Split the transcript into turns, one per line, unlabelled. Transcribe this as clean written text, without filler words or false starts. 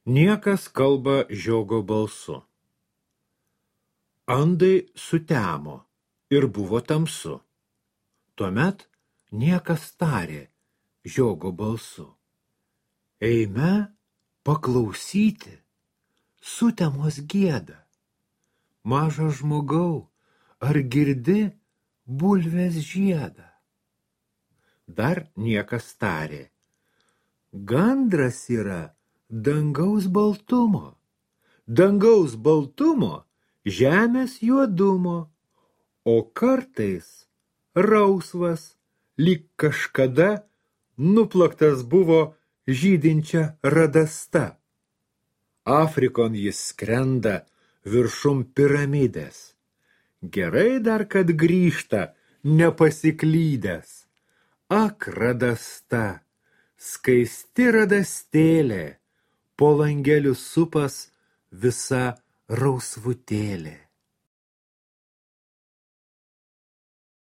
Niekas kalba žiogo balsu. Andai sutemo ir buvo tamsu. Tuomet niekas tarė žiogo balsu. Eime paklausyti, sutemos gieda. Mažas žmogau, ar girdi bulvės žiedą? Dar niekas tarė. Gandras yra dangaus baltumo, žemės juodumo, o kartais rausvas, lyg kažkada nuplaktas buvo žydinčia radasta. Afrikon jis skrenda viršum piramidės. Gerai dar, kad grįžta nepasiklydęs. Ak, radasta, skaisti radastėlė, po langelių supas visa rausvutėlė.